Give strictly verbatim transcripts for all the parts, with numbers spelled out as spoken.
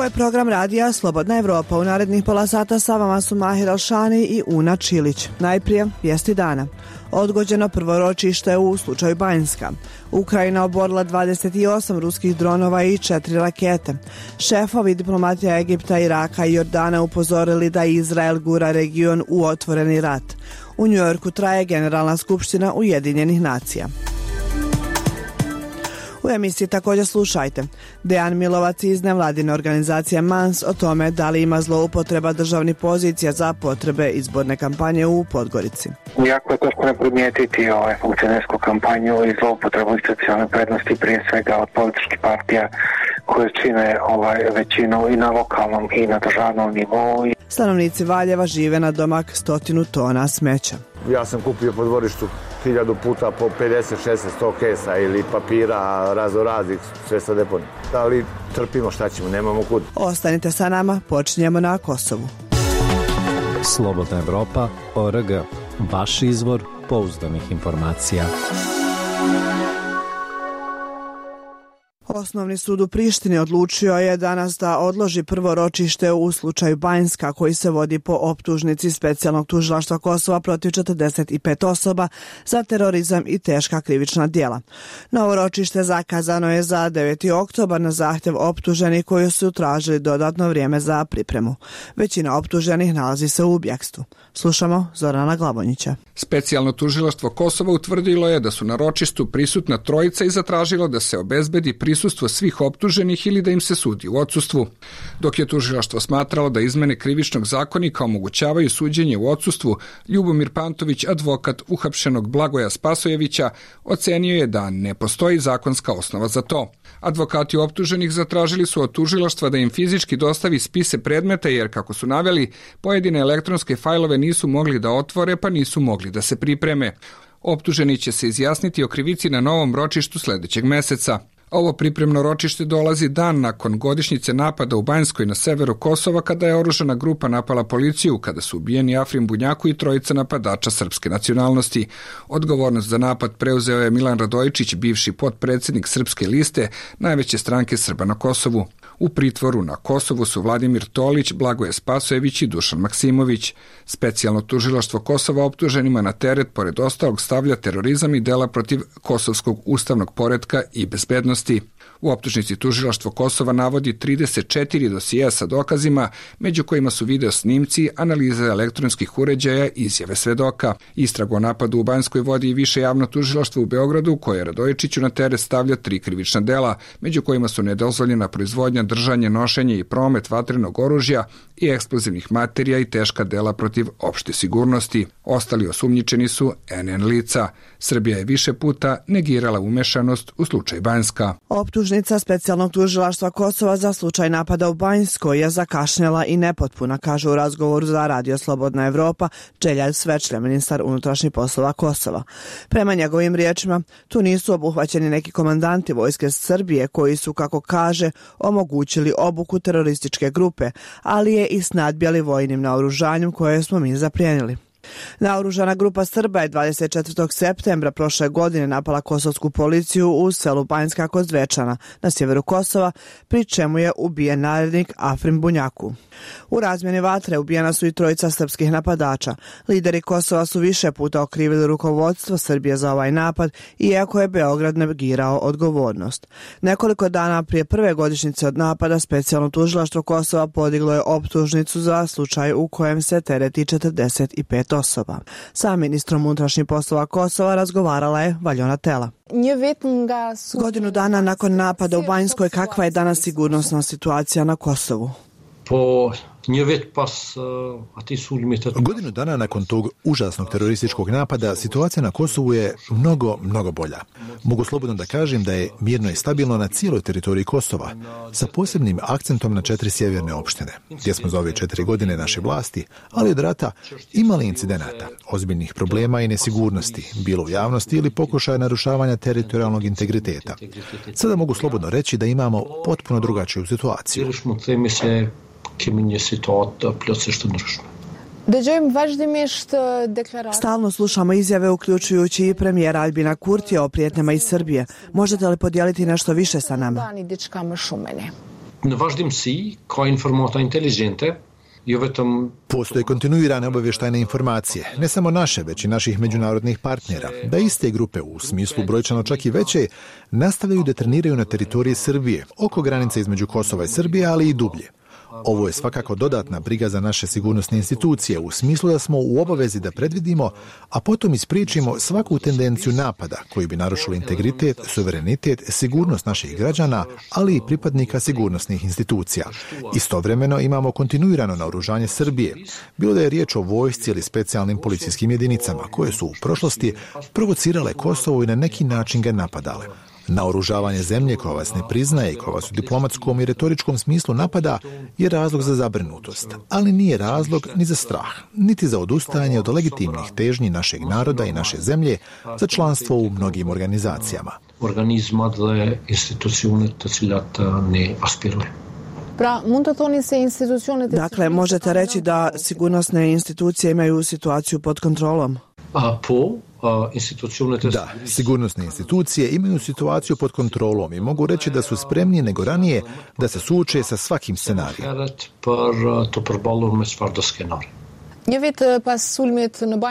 Ovo je program radija Slobodna Evropa. U narednih pola sata sa vama su Mahir Alšani i Una Čilić. Najprije vijesti dana. Odgođeno prvo ročište u slučaju Banjska. Ukrajina oborila dvadeset osam ruskih dronova i četiri rakete. Šefovi diplomatija Egipta, Iraka i Jordana upozorili da Izrael gura region u otvoreni rat. U Njujorku traje Generalna skupština Ujedinjenih nacija. U emisiji također slušajte. Dejan Milovac iz nevladine organizacije Mans o tome da li ima zloupotreba državnih pozicija za potrebe izborne kampanje u Podgorici. Jako je teško ne primijetiti ovaj funkcionersku kampanju i zloupotrebu institucionalne prednosti, prije svega od političkih partija koje čine ovaj većinu i na lokalnom i na državnom nivou. Stanovnici Valjeva žive na domak stotinu tona smeća. Ja sam kupio po dvorištu hiljadu puta po pedeset, šezdeset, sto kesa ili papira razno raznih, sve sa deponije. Ali trpimo, šta ćemo, nemamo kud. Ostanite sa nama, počinjemo na Kosovu. Slobodna Evropa, O R G, vaš izvor pouzdanih informacija. Osnovni sud u Prištini odlučio je danas da odloži prvo ročište u slučaju Banjska, koji se vodi po optužnici specijalnog tužilaštva Kosova protiv četrdeset pet osoba za terorizam i teška krivična djela. Novo ročište zakazano je za deveti oktobar na zahtjev optuženih koji su tražili dodatno vrijeme za pripremu. Većina optuženih nalazi se u bjegstvu. Slušamo Zorana Glavonjića. Specijalno tužilaštvo Kosova utvrdilo je da su na ročištu prisutna trojica i zatražilo da se obezbedi prisustvo svih optuženih ili da im se sudi u odsustvu. Dok je tužilaštvo smatralo da izmene krivičnog zakonika omogućavaju suđenje u odsustvu, Ljubomir Pantović, advokat uhapšenog Blagoja Spasojevića, ocenio je da ne postoji zakonska osnova za to. Advokati optuženih zatražili su od tužilaštva da im fizički dostavi spise predmeta jer, kako su naveli, pojedine elektronske fajlove nisu mogli da otvore pa nisu mogli da se pripreme. Optuženi će se izjasniti o krivici na novom ročištu sljedećeg meseca. Ovo pripremno ročište dolazi dan nakon godišnjice napada u Banjskoj na severu Kosova, kada je oružana grupa napala policiju, kada su ubijeni Afrim Bunjaku i trojica napadača srpske nacionalnosti. Odgovornost za napad preuzeo je Milan Radojičić, bivši potpredsjednik Srpske liste, najveće stranke Srba na Kosovu. U pritvoru na Kosovu su Vladimir Tolić, Blagoje Spasojević i Dušan Maksimović. Specijalno tužilaštvo Kosova optuženima na teret, pored ostalog, stavlja terorizam i dela protiv kosovskog ustavnog poretka i bezbednosti. U optužnici tužilaštvo Kosova navodi trideset četiri dosija sa dokazima, među kojima su video snimci, analize elektronskih uređaja i izjave svedoka. Istragu o napadu u Banjskoj vodi i više javno tužilaštvo u Beogradu, koje Radojičiću na teret stavlja tri krivična dela, među kojima su nedozvoljena proizvodnja, držanje, nošenje i promet vatrenog oružja i eksplozivnih materija i teška dela protiv opšte sigurnosti. Ostali osumnjičeni su N N lica. Srbija je više puta negirala umešanost u slučaj Banjska. Optužnica specijalnog tužilaštva Kosova za slučaj napada u Banjskoj je zakašnjela i nepotpuna, kaže u razgovoru za Radio Slobodna Evropa Čeljad Svečlja, ministar unutrašnjih poslova Kosova. Prema njegovim riječima, tu nisu obuhvaćeni neki komandanti vojske Srbije koji su, kako kaže, omogućili obuku terorističke grupe, ali je i snadbjali vojnim naoružanjem koje smo mi zaplijenili. Naoružana grupa Srba je dvadeset četvrtog septembra prošle godine napala kosovsku policiju u selu Banjska kod Zvečana na sjeveru Kosova, pri čemu je ubijen narednik Afrim Bunjaku. U razmjeni vatre ubijena su i trojica srpskih napadača. Lideri Kosova su više puta okrivili rukovodstvo Srbije za ovaj napad, iako je Beograd negirao odgovornost. Nekoliko dana prije prve godišnjice od napada, specijalno tužilaštvo Kosova podiglo je optužnicu za slučaj u kojem se tereti četrdeset pet osoba. Sa ministrom unutrašnjih poslova Kosova razgovarala je Valjona Tela. Godinu dana nakon napada u Banjskoj, kakva je danas sigurnosna situacija na Kosovu? Po Godinu dana nakon tog užasnog terorističkog napada, situacija na Kosovu je mnogo, mnogo bolja. Mogu slobodno da kažem da je mirno i stabilno na cijeloj teritoriji Kosova, sa posebnim akcentom na četiri sjeverne opštine, gdje smo za ove četiri godine naše vlasti, ali od rata imali incidenata, ozbiljnih problema i nesigurnosti, bilo u javnosti ili pokušaja narušavanja teritorijalnog integriteta. Sada mogu slobodno reći da imamo potpuno drugačiju situaciju. Stalno slušamo izjave, uključujući i premijera Albina Kurtija o prijetnjama iz Srbije. Možete li podijeliti nešto više sa nama? Në vazhdimsi ka informata inteligente. Postoje kontinuirane obavještajne informacije, ne samo naše, već i naših međunarodnih partnera, da iste grupe, u smislu brojčano čak i veće, nastavljaju da treniraju na teritoriji Srbije, oko granice između Kosova i Srbije, ali i dublje. Ovo je svakako dodatna briga za naše sigurnosne institucije, u smislu da smo u obavezi da predvidimo, a potom ispričimo svaku tendenciju napada koji bi narušili integritet, suverenitet, sigurnost naših građana, ali i pripadnika sigurnosnih institucija. Istovremeno imamo kontinuirano naoružanje Srbije, bilo da je riječ o vojsci ili specijalnim policijskim jedinicama, koje su u prošlosti provocirale Kosovo i na neki način ga napadale. Naoružavanje zemlje koja vas ne priznaje i koja vas u diplomatskom i retoričkom smislu napada je razlog za zabrinutost, ali nije razlog ni za strah, niti za odustajanje od legitimnih težnji našeg naroda i naše zemlje za članstvo u mnogim organizacijama. Organizma dle institucione të cilat ne aspirojnë. Dakle, možete reći da sigurnosne institucije imaju situaciju pod kontrolom? A po Da, sigurnosne institucije imaju situaciju pod kontrolom i mogu reći da su spremnije nego ranije da se suoče sa svakim scenarijem.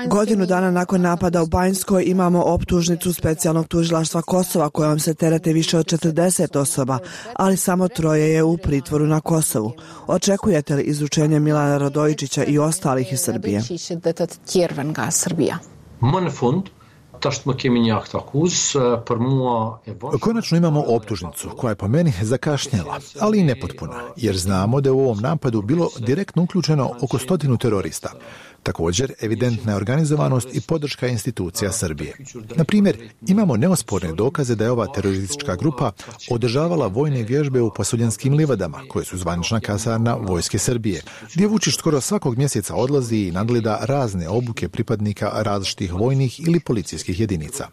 Godinu dana nakon napada u Banjskoj imamo optužnicu specijalnog tužilaštva Kosova kojom se terete više od četrdeset osoba, ali samo troje je u pritvoru na Kosovu. Očekujete li izručenje Milana Radojičića i ostalih iz Srbije? Më në fund, tash më kemi një akt akuz, për mua e važno. Konačno imamo optužnicu koja je po meni zakašnjela, ali i nepotpuna, jer znamo da je u ovom napadu bilo direktno uključeno oko stotinu terorista. Također, evidentna je organizovanost i podrška institucija Srbije. Na primjer, imamo neosporne dokaze da je ova teroristička grupa održavala vojne vježbe u Pasuljanskim livadama, koje su zvanična kasarna vojske Srbije, gdje Vučić skoro svakog mjeseca odlazi i nadgleda razne obuke pripadnika različitih vojnih ili policijskih jedinica.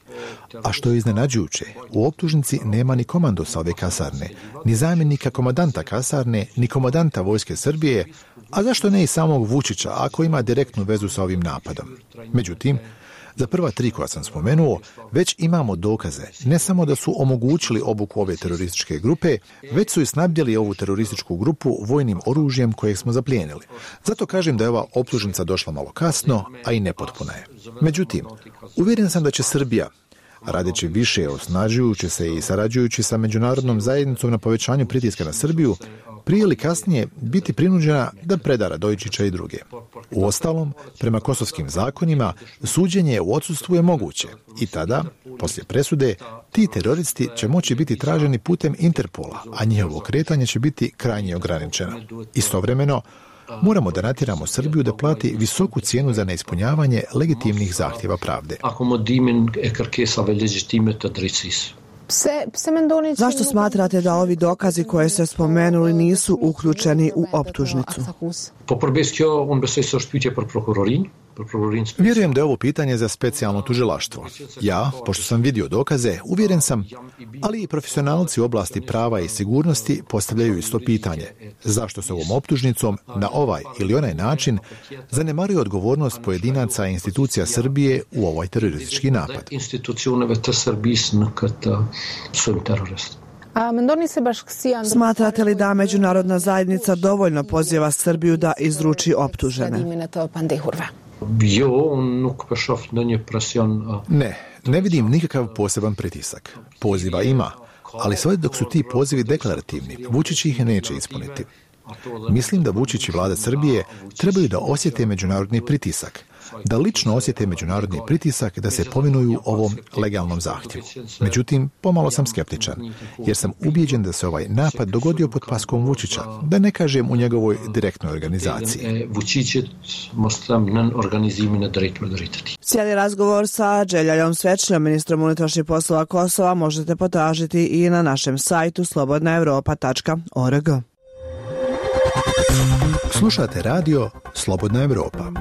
A što je iznenađujuće, u optužnici nema ni komandosa ove kasarne, ni zamjenika komandanta kasarne, ni komandanta vojske Srbije, a zašto ne i samog Vučića ako ima direktnu vezu sa ovim napadom. Međutim, za prva tri koja sam spomenuo, već imamo dokaze, ne samo da su omogućili obuku ove terorističke grupe, već su i snabdjeli ovu terorističku grupu vojnim oružjem kojeg smo zaplijenili. Zato kažem da je ova optužnica došla malo kasno, a i nepotpuna je. Međutim, uvjeren sam da će Srbija, radeći više, osnažujući se i sarađujući sa međunarodnom zajednicom na povećanju pritiska na Srbiju, prije ili kasnije biti prinuđena da preda Radojičića i druge. Uostalom, prema kosovskim zakonima, suđenje u odsustvu je moguće i tada, poslije presude, ti teroristi će moći biti traženi putem Interpola, a njihovo kretanje će biti krajnje ograničeno. Istovremeno, moramo da natjeramo Srbiju da plati visoku cijenu za neispunjavanje legitimnih zahtjeva pravde. Akomodimin e kërkesave legjitime të drejtësisë. Zašto smatrate da ovi dokazi koje ste spomenuli nisu uključeni u optužnicu? Po përbes kjo, unë besoj se është pyetje për prokurorin. Vjerujem da je ovo pitanje za specijalno tužilaštvo. Ja, pošto sam vidio dokaze, uvjeren sam, ali i profesionalci u oblasti prava i sigurnosti postavljaju isto pitanje. Zašto se ovom optužnicom na ovaj ili onaj način zanemaruje odgovornost pojedinaca i institucija Srbije u ovaj teroristički napad? Institucioneve të Srbisë në këtë sulm terrorist. Smatrate li da međunarodna zajednica dovoljno poziva Srbiju da izruči optužene? Ne, ne vidim nikakav poseban pritisak. Poziva ima, ali sve dok su ti pozivi deklarativni, Vučić ih neće ispuniti. Mislim da Vučić i vlada Srbije trebaju da osjete međunarodni pritisak, da lično osjete međunarodni pritisak da se povinuju ovom legalnom zahtjevu. Međutim, pomalo sam skeptičan, jer sam ubijeđen da se ovaj napad dogodio pod paskom Vučića, da ne kažem u njegovoj direktnoj organizaciji. Cijeli razgovor sa Đeljaljom Svečljom, ministrom unutrašnjih poslova Kosova, možete potražiti i na našem sajtu slobodna evropa tačka org. Slušate radio Slobodna Evropa.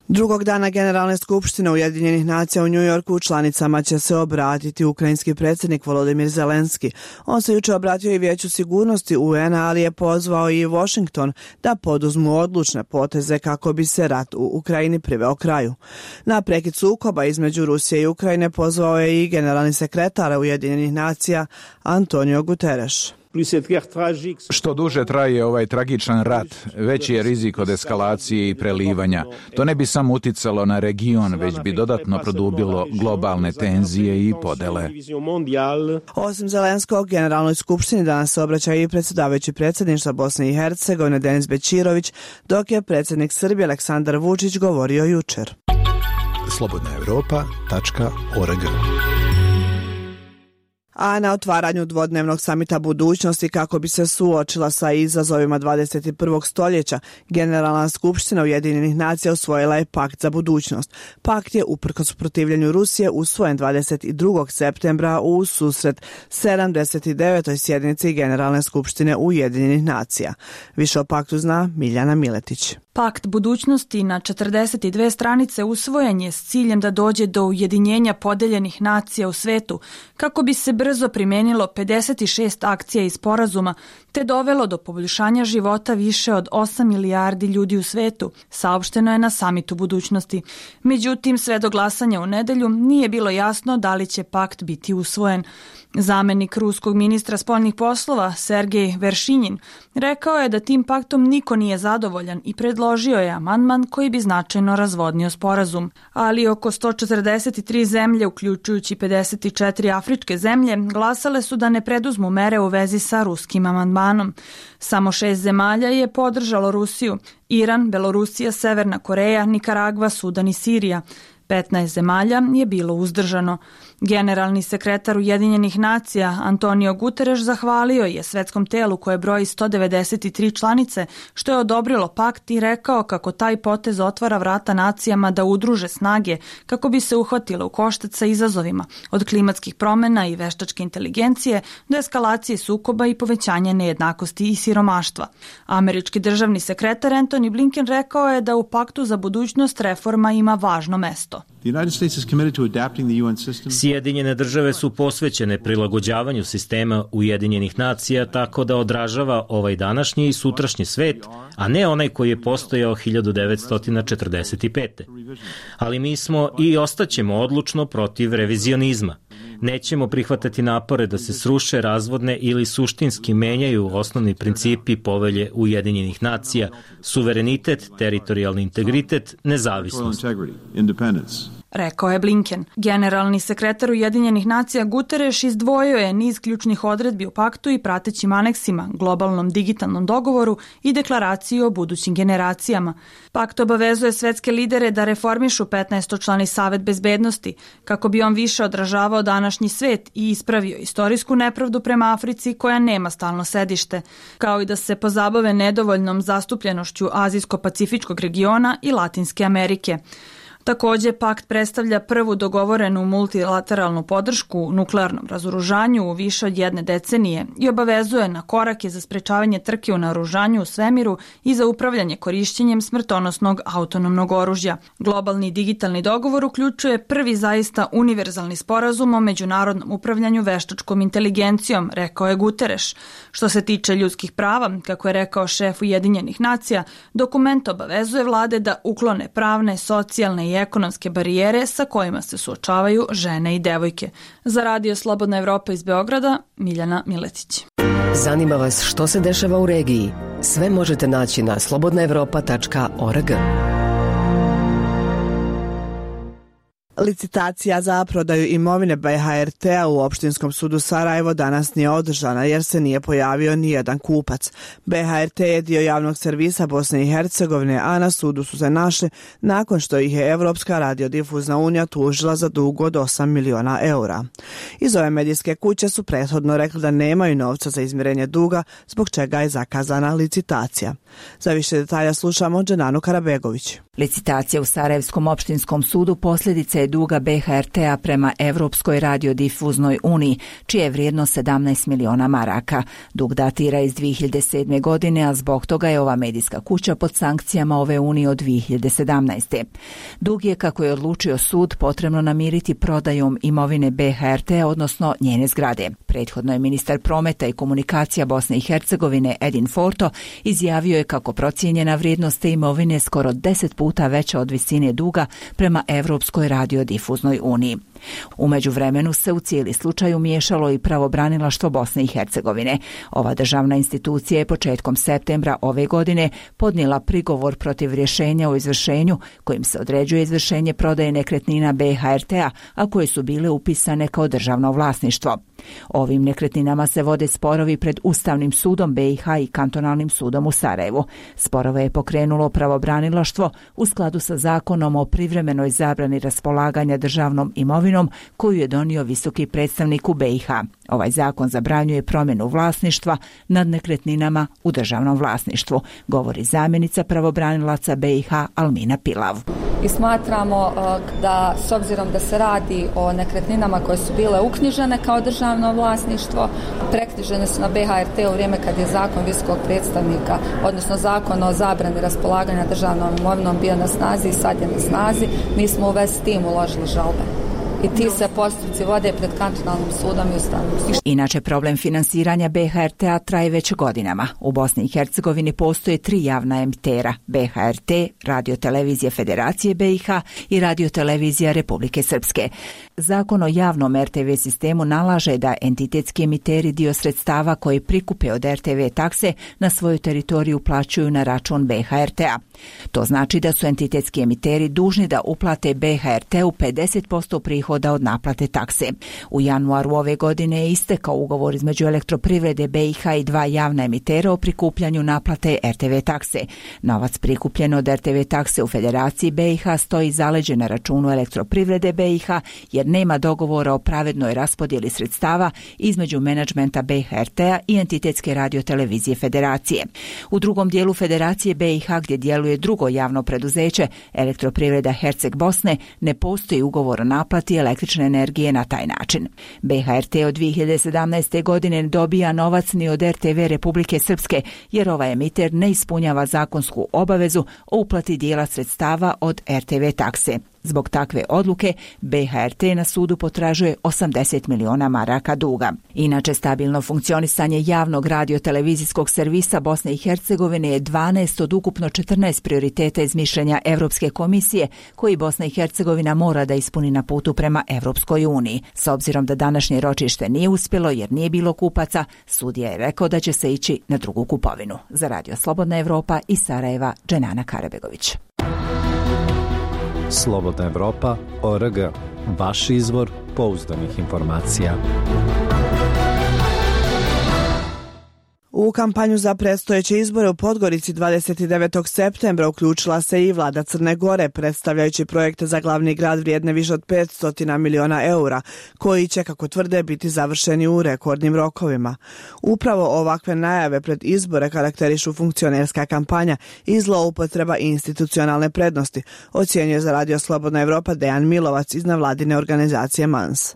Drugog dana Generalne skupštine Ujedinjenih nacija u Njujorku članicama će se obratiti ukrajinski predsjednik Volodimir Zelenski. On se jučer obratio i Vijeću sigurnosti U N-a, ali je pozvao i Washington da poduzmu odlučne poteze kako bi se rat u Ukrajini priveo kraju. Na prekid sukoba između Rusije i Ukrajine pozvao je i generalni sekretar Ujedinjenih nacija Antonio Guterres. Što duže traje ovaj tragičan rat, veći je rizik od eskalacije i prelivanja. To ne bi samo uticalo na region, već bi dodatno produbilo globalne tenzije i podele. Osim Zelenskog, Generalnoj skupštini danas se obraća i predsjedavajući predsjedništva Bosne i Hercegovine Denis Bećirović, dok je predsjednik Srbije Aleksandar Vučić govorio jučer. slobodna europa tačka org. A na otvaranju dvodnevnog samita budućnosti kako bi se suočila sa izazovima dvadeset prvog stoljeća, Generalna skupština Ujedinjenih nacija usvojila je pakt za budućnost. Pakt je uprkos protivljenju Rusije usvojen dvadeset drugog septembra u susret sedamdeset devetoj sjednici Generalne skupštine Ujedinjenih nacija. Više o paktu zna Miljana Miletić. Pakt budućnosti na četrdeset dve stranice usvojen je s ciljem da dođe do ujedinjenja podeljenih nacija u svetu, kako bi se brzo primenilo pedeset šest akcija i sporazuma, te dovelo do poboljšanja života više od osam milijardi ljudi u svetu, saopšteno je na samitu budućnosti. Međutim, sve do glasanja u nedelju nije bilo jasno da li će pakt biti usvojen. Zamenik ruskog ministra spoljnih poslova Sergej Veršinjin rekao je da tim paktom niko nije zadovoljan i predložio je amandman koji bi značajno razvodnio sporazum. Ali oko sto četrdeset tri zemlje, uključujući pedeset četiri afričke zemlje, glasale su da ne preduzmu mere u vezi sa ruskim amandmanom. Samo šest zemalja je podržalo Rusiju: Iran, Belorusija, Severna Koreja, Nikaragva, Sudan i Sirija. petnaest zemalja je bilo uzdržano. Generalni sekretar Ujedinjenih nacija Antonio Guterres zahvalio je svetskom telu koje broji sto devedeset tri članice što je odobrilo pakt i rekao kako taj potez otvara vrata nacijama da udruže snage kako bi se uhvatile u koštac sa izazovima, od klimatskih promjena i veštačke inteligencije do eskalacije sukoba i povećanja nejednakosti i siromaštva. Američki državni sekretar Antony Blinken rekao je da u paktu za budućnost reforma ima važno mesto. Sjedinjene države su posvećene prilagođavanju sistema Ujedinjenih nacija tako da odražava ovaj današnji i sutrašnji svet, a ne onaj koji je postojao hiljadu devetsto četrdeset pete. Ali mi smo i ostaćemo odlučno protiv revizionizma. Nećemo prihvatati napore da se sruše, razvodne ili suštinski menjaju osnovni principi povelje Ujedinjenih nacija: suverenitet, teritorijalni integritet, nezavisnost. Rekao je Blinken. Generalni sekretar Ujedinjenih nacija Guterres izdvojio je niz ključnih odredbi u paktu i pratećim aneksima, globalnom digitalnom dogovoru i deklaraciji o budućim generacijama. Pakt obavezuje svetske lidere da reformišu petnaestočlani Savet bezbednosti, kako bi on više odražavao današnji svet i ispravio istorijsku nepravdu prema Africi koja nema stalno sedište, kao i da se pozabave nedovoljnom zastupljenošću Azijsko-pacifičkog regiona i Latinske Amerike. Također, pakt predstavlja prvu dogovorenu multilateralnu podršku nuklearnom razoružanju u više od jedne decenije i obavezuje na korake za sprečavanje trke u naoružanju u svemiru i za upravljanje korišćenjem smrtonosnog autonomnog oružja. Globalni digitalni dogovor uključuje prvi zaista univerzalni sporazum o međunarodnom upravljanju veštačkom inteligencijom, rekao je Guterres. Što se tiče ljudskih prava, kako je rekao šef Ujedinjenih nacija, dokument obavezuje vlade da uklone pravne, socijalne i ekonomske barijere sa kojima se suočavaju žene i devojke. Za Radio Slobodna Evropa iz Beograda, Miljana Miletić. Zanima vas što se dešava u regiji? Sve možete naći na slobodna evropa tačka org. Licitacija za prodaju imovine B H R T-a u Opštinskom sudu Sarajevo danas nije održana jer se nije pojavio ni jedan kupac. B H R T je dio javnog servisa Bosne i Hercegovine, a na sudu su se našli nakon što ih je Evropska radiodifuzna unija tužila za dug od osam miliona eura. Iz ove medijske kuće su prethodno rekli da nemaju novca za izmirenje duga, zbog čega je zakazana licitacija. Za više detalja slušamo Dženanu Karabegović. Licitacija u Sarajevskom opštinskom sudu posljedica je duga B H R T-a prema Evropskoj radiodifuznoj uniji, čija je vrijednost sedamnaest miliona maraka. Dug datira iz dvije hiljade sedme. godine, a zbog toga je ova medijska kuća pod sankcijama ove unije od dvije hiljade sedamnaeste. Dug je, kako je odlučio sud, potrebno namiriti prodajom imovine B H R T, odnosno njene zgrade. Prethodno je ministar prometa i komunikacija Bosne i Hercegovine Edin Forto izjavio je kako procijenjena vrijednost te imovine skoro deset puta veća od visine duga prema Evropskoj radiodifuznoj uniji. U međuvremenu se u cijeli slučaj umiješalo i pravobranilaštvo Bosne i Hercegovine. Ova državna institucija je početkom septembra ove godine podnijela prigovor protiv rješenja o izvršenju kojim se određuje izvršenje prodaje nekretnina B H R T-a, a koje su bile upisane kao državno vlasništvo. Ovim nekretninama se vode sporovi pred Ustavnim sudom B i H i Kantonalnim sudom u Sarajevu. Sporove je pokrenulo pravobranilaštvo u skladu sa zakonom o privremenoj zabrani raspolaganja državnom imovinom koju je donio visoki predstavnik u B i H. Ovaj zakon zabranjuje promjenu vlasništva nad nekretninama u državnom vlasništvu, govori zamjenica pravobranilaca B i H Almina Pilav. I smatramo da, s obzirom da se radi o nekretninama koje su bile uknjižene kao državno vlasništvo, preknjižene su na B H R T u vrijeme kad je zakon visokog predstavnika, odnosno zakon o zabrani raspolaganja državnom imovinom bio na snazi i sad je na snazi, mi smo u vezi s tim uložili žalbe. I ti se postupci vode pred Kantonalnim sudom i Ustavnim sudom. Inače, problem finansiranja B H R T-a traje već godinama. U Bosni i Hercegovini postoje tri javna emitera: B H R T, Radio-televizija Federacije B i H i Radio-televizija Republike Srpske. Zakon o javnom R T V sistemu nalaže da entitetski emiteri dio sredstava koji prikupe od R T V takse na svoju teritoriju plaćaju na račun B H R T-a. To znači da su entitetski emiteri dužni da uplate B H R T-u pedeset posto prihoda od naplate takse. U januaru ove godine je istekao ugovor između Elektroprivrede B i H i dva javna emitera o prikupljanju naplate R T V takse. Novac prikupljen od R T V takse u Federaciji B i H stoji zaleđen na računu Elektroprivrede B i H jer nema dogovora o pravednoj raspodjeli sredstava između menadžmenta B H R T-a i entitetske radiotelevizije Federacije. U drugom dijelu Federacije B i H, gdje djeluje drugo javno preduzeće, Elektroprivreda Herceg Bosne, ne postoji ugovor o naplati električne energije na taj način. B H R T od dvije hiljade sedamnaeste. godine ne dobija novac ni od R T V Republike Srpske, jer ovaj emiter ne ispunjava zakonsku obavezu o uplati dijela sredstava od R T V takse. Zbog takve odluke B H R T na sudu potražuje osamdeset miliona maraka duga. Inače, stabilno funkcionisanje javnog radio-televizijskog servisa Bosne i Hercegovine je dvanaest od ukupno četrnaest prioriteta iz mišljenja Evropske komisije koji Bosna i Hercegovina mora da ispuni na putu prema Evropskoj uniji. S obzirom da današnje ročište nije uspjelo jer nije bilo kupaca, sudija je rekao da će se ići na drugu kupovinu. Za Radio Slobodna Evropa iz Sarajeva, Dženana Karabegović. Slobodna Evropa, O R G, vaš izvor pouzdanih informacija. U kampanju za predstojeće izbore u Podgorici dvadeset devetog septembra uključila se i vlada Crne Gore, predstavljajući projekte za glavni grad vrijedne više od petsto miliona eura, koji će, kako tvrde, biti završeni u rekordnim rokovima. Upravo ovakve najave pred izbore karakterišu funkcionerska kampanja i zloupotreba institucionalne prednosti, ocjenjuje za Radio Slobodna Evropa Dejan Milovac iz nevladine organizacije Mans.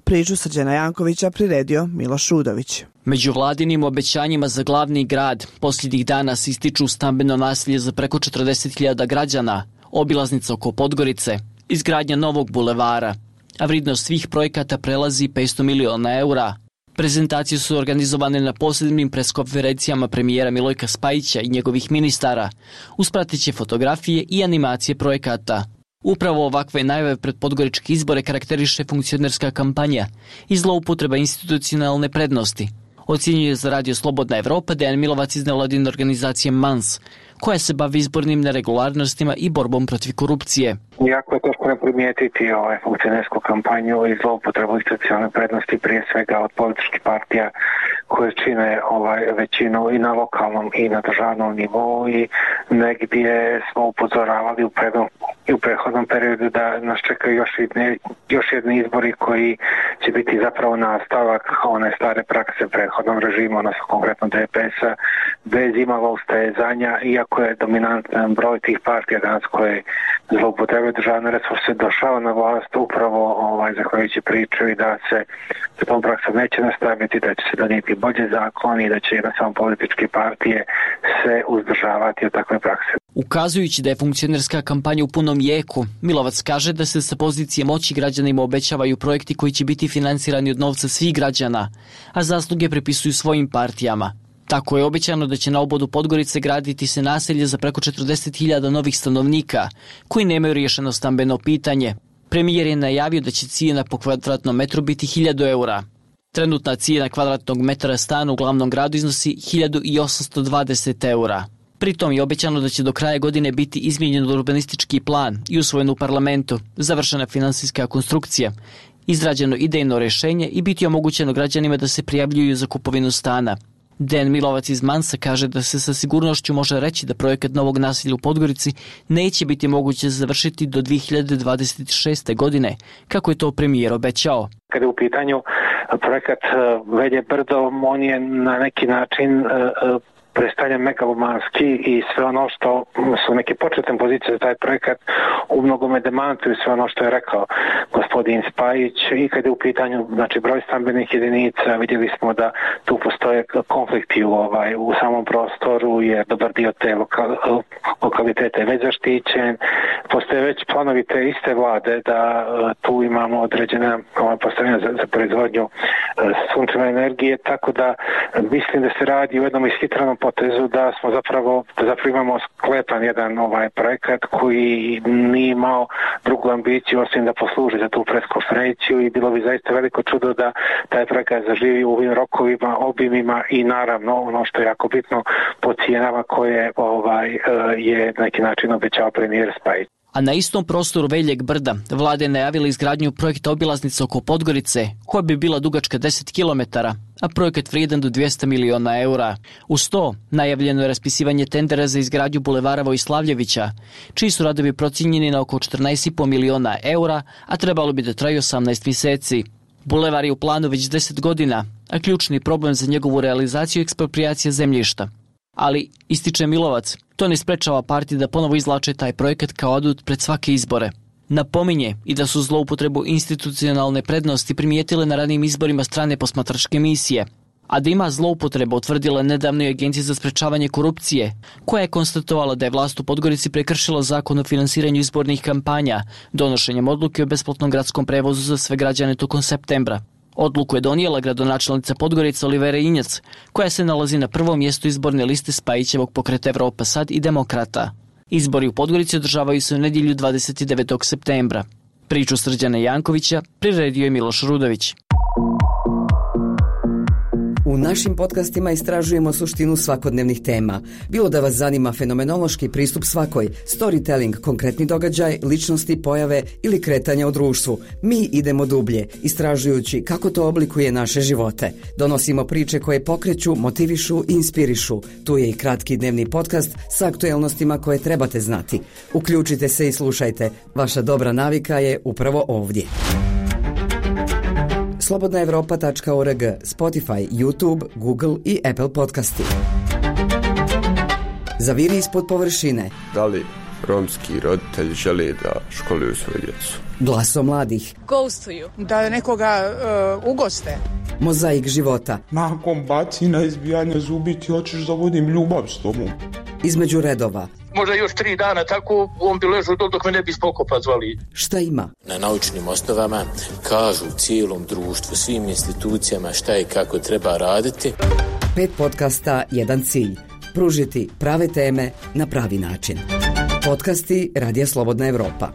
Priču Srđana Jankovića priredio Miloš Udović. Među vladinim obećanjima za glavni grad posljednjih dana se ističu stambeno naselje za preko četrdeset hiljada građana, obilaznica oko Podgorice, izgradnja novog bulevara, a vrijednost svih projekata prelazi petsto miliona eura. Prezentacije su organizovane na posebnim preskonferencijama premijera Milojka Spajića i njegovih ministara, uz prateće fotografije i animacije projekata. Upravo ovakve najave pred podgoričke izbore karakteriše funkcionerska kampanja i zloupotreba institucionalne prednosti, ocjenjuje za Radio Slobodna Evropa Dejan Milovac iz nevladine organizacije Mans, koja se bavi izbornim neregularnostima i borbom protiv korupcije. Jako je teško ne primijetiti ovaj funkcionersku kampanju i zloupotrebu institucionalne prednosti, prije svega od političkih partija koje čine ovaj većinu i na lokalnom i na državnom nivou, i negdje smo upozoravali u prednom i u prethodnom periodu da nas čekaju još jedne, još jedni izbori koji će biti zapravo nastavak one stare prakse prethodnom režimu, odnosno konkretno D P S-a, bez imalo ustezanja, iako je dominantan broj tih partija danas koje zloupotrebuje državne resurse došao na vlast upravo ovaj, zahvaljujući priču i da se sa tom praksom neće nastaviti, da će se donijeti bolje zakoni i da će jednostavno političke partije se uzdržavati od takve prakse. Ukazujući da je funkcionerska kampanja u punom jeku, Milovac kaže da se sa pozicije moći građanima obećavaju projekti koji će biti finansirani od novca svih građana, a zasluge prepisuju svojim partijama. Tako je obećano da će na obodu Podgorice graditi se naselje za preko četrdeset hiljada novih stanovnika koji nemaju riješeno stambeno pitanje. Premijer je najavio da će cijena po kvadratnom metru biti hiljadu eura. Trenutna cijena kvadratnog metra stana u glavnom gradu iznosi hiljadu osamsto dvadeset eura. Pritom je obećano da će do kraja godine biti izmijenjen urbanistički plan i usvojen u parlamentu, završena finansijska konstrukcija, izrađeno idejno rješenje i biti omogućeno građanima da se prijavljuju za kupovinu stana. Dejan Milovac iz Mansa kaže da se sa sigurnošću može reći da projekat novog naselja u Podgorici neće biti moguće završiti do dvije hiljade dvadeset šeste. godine, kako je to premijer obećao. Kada je u pitanju projekat Velje brdo, on je na neki način predstavlja megalomanski i sve ono što su neke početne pozicije za taj projekat u mnogome demantuju sve ono što je rekao gospodin Spajić i kad je u pitanju znači, broj stambenih jedinica, vidjeli smo da tu postoje konflikti u, ovaj, u samom prostoru jer dobar dio te lokal, lokalitete je već zaštićen. Postoje već planovi te iste vlade da tu imamo određene ovaj, postavljene za, za proizvodnju sunčeve energije, tako da mislim da se radi u jednom ishitranom potezu da smo zapravo, da zapravo imamo sklepan jedan ovaj projekat koji nije imao drugu ambiciju osim da posluži za tu preskonferenciju i bilo bi zaista veliko čudo da taj projekat zaživi u ovim rokovima, obimima i naravno ono što je jako bitno po cijenama koje ovaj, je na neki način obećao premijer Spajić. A na istom prostoru Veljeg brda vlada je najavila izgradnju projekta obilaznice oko Podgorice, koja bi bila dugačka deset kilometara, a projekat vrijedan do dvjesto miliona eura. Uz to najavljeno je raspisivanje tendera za izgradnju bulevara Vojslavljevića, čiji su radovi procijenjeni na oko četrnaest i po miliona eura, a trebalo bi da traju osamnaest mjeseci. Bulevar je u planu već deset godina, a ključni problem za njegovu realizaciju je eksproprijacija zemljišta. Ali, ističe Milovac, to ne sprečava partije da ponovo izvlače taj projekat kao adut pred svake izbore. Napominje i da su zloupotrebu institucionalne prednosti primijetile na ranijim izborima strane posmatračke misije, a da ima zloupotreba utvrdila nedavno i Agencija za sprečavanje korupcije, koja je konstatovala da je vlast u Podgorici prekršila zakon o finansiranju izbornih kampanja, donošenjem odluke o besplatnom gradskom prevozu za sve građane tokom septembra. Odluku je donijela gradonačelnica Podgorice Olivera Injac, koja se nalazi na prvom mjestu izborne liste Spajićevog pokreta Evropa sad i Demokrata. Izbori u Podgorici održavaju se u nedjelju dvadeset devetog septembra. Priču Srđana Jankovića priredio je Miloš Rudović. U našim podcastima istražujemo suštinu svakodnevnih tema. Bilo da vas zanima fenomenološki pristup svakoj, storytelling, konkretni događaj, ličnosti, pojave ili kretanja u društvu. Mi idemo dublje, istražujući kako to oblikuje naše živote. Donosimo priče koje pokreću, motivišu i inspirišu. Tu je i kratki dnevni podcast sa aktuelnostima koje trebate znati. Uključite se i slušajte. Vaša dobra navika je upravo ovdje. slobodna evropa tačka org, Spotify, YouTube, Google i Apple podcasti. Zaviri ispod površine. Da li romski roditelji žele da školuju svoju djecu? Glaso mladih. Ghostuju. Da nekoga uh, ugoste. Mozaik života. Nakon bacina izbijanja zubi ti hoćeš da vodim ljubav s tobom. Između redova. Možda još tri dana tako on bi ležao dok me ne bi spokopa zvali. Šta ima? Na naučnim osnovama kažu cijelom društvu, svim institucijama šta i kako treba raditi. Pet podcasta, jedan cilj. Pružiti prave teme na pravi način. Podcasti Radija Slobodna Evropa.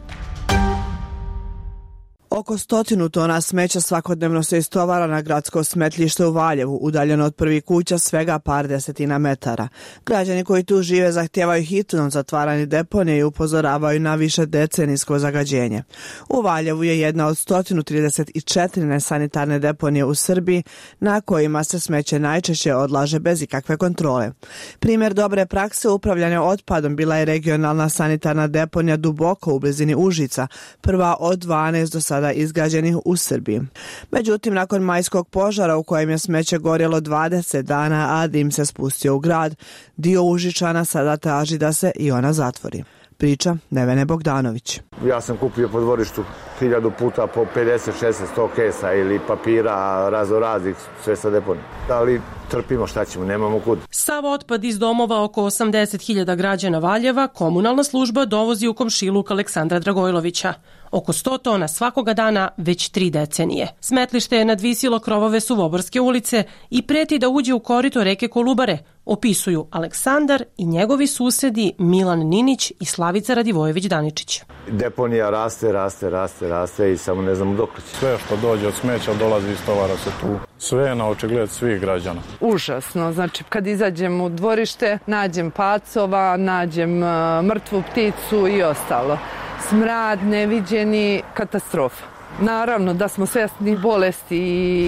Oko stotinu tona smeća svakodnevno se istovara na gradsko smetlište u Valjevu, udaljeno od prvih kuća svega par desetina metara. Građani koji tu žive zahtijevaju hitno zatvaranje deponije i upozoravaju na više decenijsko zagađenje. U Valjevu je jedna od sto trideset četiri nesanitarne deponije u Srbiji na kojima se smeće najčešće odlaže bez ikakve kontrole. Primjer dobre prakse upravljanja otpadom bila je regionalna sanitarna deponija Duboko u blizini Užica, prva od dvanaest do sada izgrađenih u Srbiji. Međutim, nakon majskog požara u kojem je smeće gorjelo dvadeset dana, a dim se spustio u grad, dio Užičana sada traži da se i ona zatvori. Priča Nevene Bogdanović. Ja sam kupio po dvorištu hiljadu puta po pedeset, šezdeset, sto kesa ili papira raznoraznih, sve sa deponije. Ali trpimo, šta ćemo, nemamo kud. Sav otpad iz domova oko osamdeset hiljada građana Valjeva komunalna služba dovozi u komšiluk Aleksandra Dragojlovića. Oko sto tona svakoga dana već tri decenije. Smetlište je nadvisilo krovove Suvoborske ulice i preti da uđe u korito reke Kolubare, opisuju Aleksandar i njegovi susedi Milan Ninić i Slavica Radivojević-Daničić. Deponija raste, raste, raste, raste i samo ne znamo dok će. Sve što dođe od smeća dolazi i stovara se tu. Sve je na očigled svih građana. Užasno, znači kad izađem u dvorište, nađem pacova, nađem uh, mrtvu pticu i ostalo. Smrad, neviđeni, katastrofa. Naravno da smo svjesni bolesti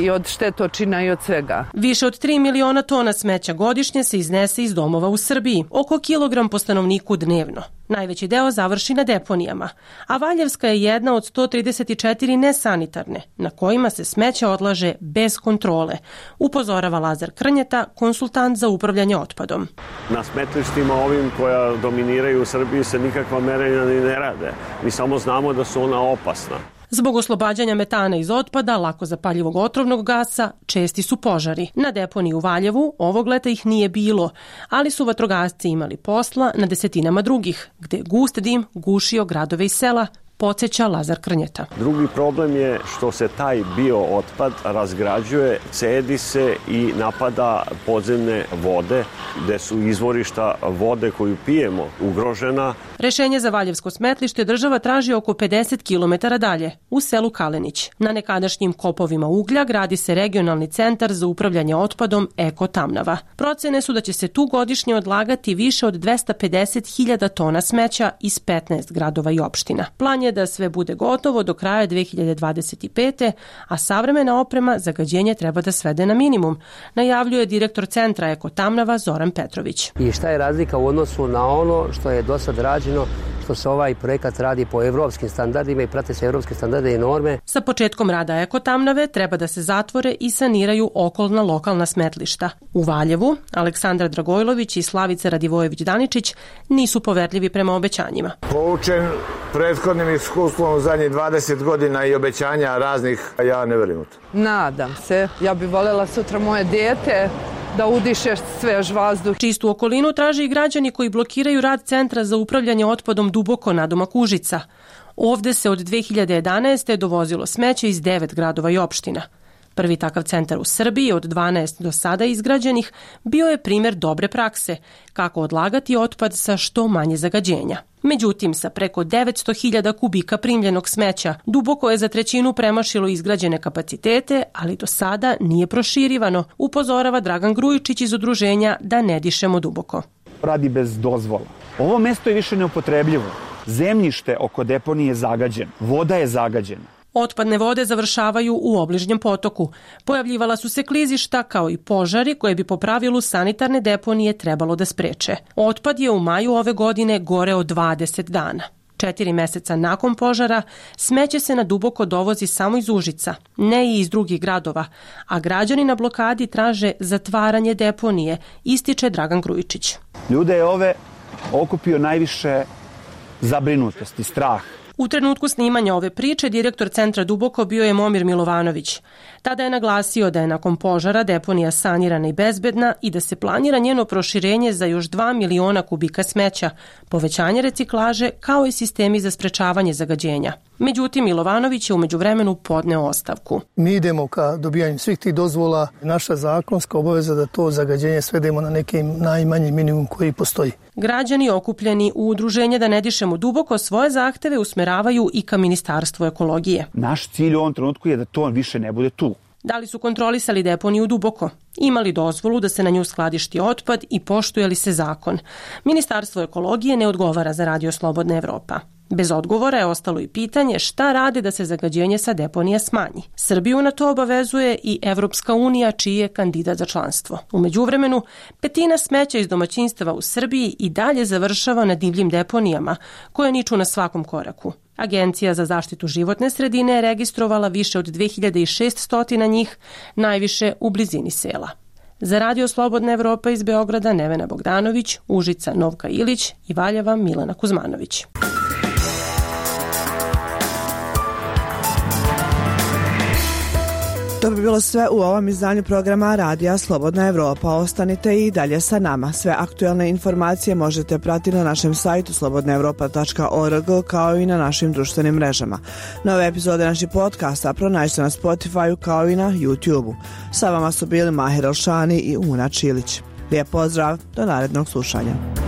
i od štetočina i od svega. Više od tri miliona tona smeća godišnje se iznese iz domova u Srbiji, oko kilogram po stanovniku dnevno. Najveći deo završi na deponijama, a Valjevska je jedna od sto trideset četiri nesanitarne, na kojima se smeće odlaže bez kontrole, upozorava Lazar Krnjeta, konsultant za upravljanje otpadom. Na smetlištima ovim koja dominiraju u Srbiji se nikakva merenja ni ne rade. Mi samo znamo da su ona opasna. Zbog oslobađanja metana iz otpada, lako zapaljivog otrovnog gasa, česti su požari. Na deponiji u Valjevu ovog leta ih nije bilo, ali su vatrogasci imali posla na desetinama drugih, gde je gust dim gušio gradove i sela, podsjeća Lazar Krnjeta. Drugi problem je što se taj biootpad razgrađuje, cedi se i napada podzemne vode, gde su izvorišta vode koju pijemo ugrožena. Rešenje za Valjevsko smetlište država traži oko pedeset kilometara dalje, u selu Kalenić. Na nekadašnjim kopovima uglja gradi se regionalni centar za upravljanje otpadom Eko Tamnava. Procene su da će se tu godišnje odlagati više od dvesta pedeset hiljada tona smeća iz petnaest gradova i opština. Plan je da sve bude gotovo do kraja dve hiljade dvadeset pete. a savremena oprema zagađenje treba da svede na minimum, najavljuje direktor centra Eko Tamnava Zoran Petrović. I šta je razlika u odnosu na ono što je do sad rađeno, što se ovaj projekat radi po evropskim standardima i prate se evropske standarde i norme. Sa početkom rada Eko Tamnave treba da se zatvore i saniraju okolna lokalna smetlišta. U Valjevu Aleksandar Dragojlović i Slavica Radivojević-Daničić nisu poverljivi prema obećanjima. Poučen prethodnim iskustvom u zadnjih dvadeset godina i obećanja raznih, ja ne verujem u to. Nadam se. Ja bih voljela sutra moje dijete da udiše svež vazduh. Čistu okolinu traže i građani koji blokiraju rad Centra za upravljanje otpadom Duboko nadomak Užica. Ovde se od dve hiljade jedanaeste. dovozilo smeće iz devet gradova i opština. Prvi takav centar u Srbiji od dvanaest do sada izgrađenih bio je primjer dobre prakse, kako odlagati otpad sa što manje zagađenja. Međutim, sa preko devetsto hiljada kubika primljenog smeća, Duboko je za trećinu premašilo izgrađene kapacitete, ali do sada nije proširivano, upozorava Dragan Grujičić iz udruženja Da ne dišemo duboko. Radi bez dozvola. Ovo mesto je više neupotrebljivo. Zemljište oko deponije je zagađeno, voda je zagađena. Otpadne vode završavaju u obližnjem potoku. Pojavljivala su se klizišta kao i požari koje bi po pravilu sanitarne deponije trebalo da spreče. Otpad je u maju ove godine goreo dvadeset dana. Četiri meseca nakon požara smeće se na Duboko dovozi samo iz Užica, ne i iz drugih gradova, a građani na blokadi traže zatvaranje deponije, ističe Dragan Grujičić. Ljude je ove okupio najviše zabrinutost i strah. U trenutku snimanja ove priče direktor centra Duboko bio je Momir Milovanović. Tada je naglasio da je nakon požara deponija sanirana i bezbedna i da se planira njeno proširenje za još dva miliona kubika smeća, povećanje reciklaže kao i sistemi za sprečavanje zagađenja. Međutim, Milovanović je u međuvremenu podneo ostavku. Mi idemo ka dobijanju svih tih dozvola. Naša zakonska obaveza da to zagađenje svedemo na neki najmanji minimum koji postoji. Građani okupljeni u udruženje Da ne dišemo duboko svoje zahteve usmeravaju i ka Ministarstvu ekologije. Naš cilj u ovom trenutku je da to više ne bude tu. Da li su kontrolisali deponiju Duboko? Imali dozvolu da se na nju skladišti otpad i poštuje li se zakon? Ministarstvo ekologije ne odgovara za Radio Slobodna Evropa. Bez odgovora je ostalo i pitanje šta rade da se zagađenje sa deponija smanji. Srbiju na to obavezuje i Evropska unija, čiji je kandidat za članstvo. U međuvremenu, petina smeća iz domaćinstava u Srbiji i dalje završava na divljim deponijama, koje niču na svakom koraku. Agencija za zaštitu životne sredine je registrovala više od dve hiljade šessto njih, najviše u blizini sela. Za Radio Slobodna Evropa iz Beograda Nevena Bogdanović, Užica Novka Ilić i Valjeva Milana Kuzmanović. To bi bilo sve u ovom izdanju programa Radija Slobodna Evropa. Ostanite i dalje sa nama. Sve aktuelne informacije možete pratiti na našem sajtu slobodna evropa tačka org kao i na našim društvenim mrežama. Nove epizode naših podcasta pronađite na Spotify kao i na YouTube-u. Sa vama su bili Mahir Elšani i Una Čilić. Lijep pozdrav, do narednog slušanja.